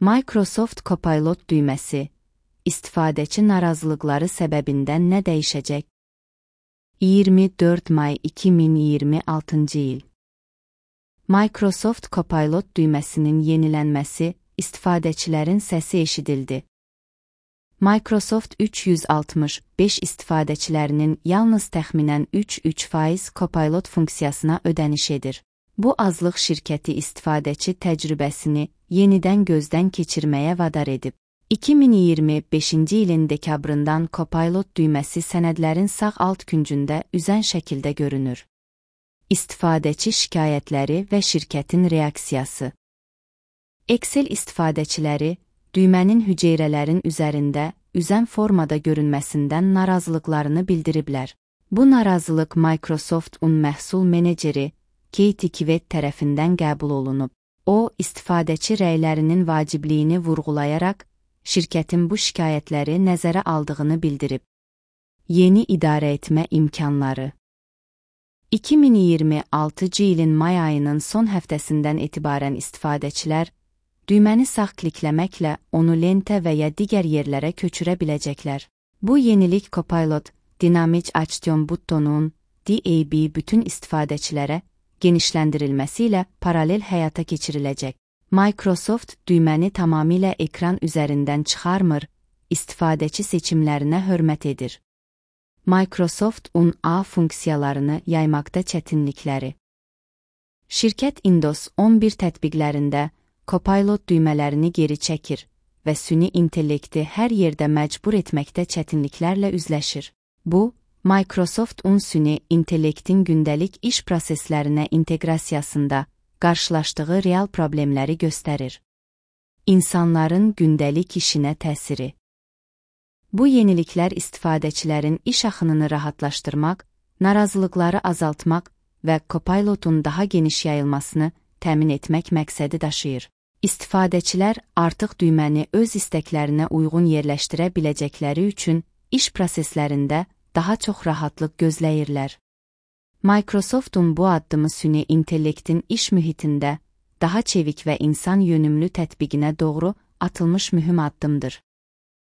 Microsoft Copilot düyməsi, istifadəçi narazılıqları səbəbindən nə dəyişəcək? 24 may 2026 il. Microsoft Copilot düyməsinin yenilənməsi, istifadəçilərin səsi eşidildi. Microsoft 365 istifadəçilərinin yalnız təxminən 3% Copilot funksiyasına ödəniş edir. Bu azlıq şirkəti istifadəçi təcrübəsini yenidən gözdən keçirməyə vadar edib. 2025-ci ilin dekabrından Copilot düyməsi sənədlərin sağ alt küncündə üzən şəkildə görünür. İstifadəçi şikayətləri və şirkətin reaksiyası. Excel istifadəçiləri, düymənin hüceyrələrin üzərində, üzən formada görünməsindən narazılıqlarını bildiriblər. Bu narazılıq Microsoft-un məhsul meneceri, Katie Kivet tərəfindən qəbul olunub. O, istifadəçi rəylərinin vacibliyini vurğulayaraq, şirkətin bu şikayətləri nəzərə aldığını bildirib. Yeni idarə etmə imkanları. 2026-cı ilin may ayının son həftəsindən etibarən istifadəçilər, düyməni sağ klikləməklə onu lentə və ya digər yerlərə köçürə biləcəklər. Bu yenilik Copilot, Dynamic Action butonunun DAB bütün istifadəçilərə genişləndirilməsi ilə paralel həyata keçiriləcək. Microsoft düyməni tamamilə ekran üzərindən çıxarmır, istifadəçi seçimlərinə hörmət edir. Microsoft-un A funksiyalarını yaymaqda çətinlikləri. Şirkət Windows 11 tətbiqlərində Copilot düymələrini geri çəkir və süni intellekti hər yerdə məcbur etməkdə çətinliklərlə üzləşir. Bu, Microsoft-un süni intellektin gündəlik iş proseslərinə inteqrasiyasında qarşılaşdığı real problemləri göstərir. İnsanların gündəlik işinə təsiri. Bu yeniliklər istifadəçilərin iş axınını rahatlaşdırmaq, narazılıqları azaltmaq və Copilot'un daha geniş yayılmasını təmin etmək məqsədi daşıyır. İstifadəçilər artıq düyməni öz istəklərinə uyğun yerləşdirə biləcəkləri üçün iş proseslərində daha çox rahatlıq gözləyirlər. Microsoft'un bu addımı süni intellektin iş mühitində daha çevik və insan yönümlü tətbiqinə doğru atılmış mühüm addımdır.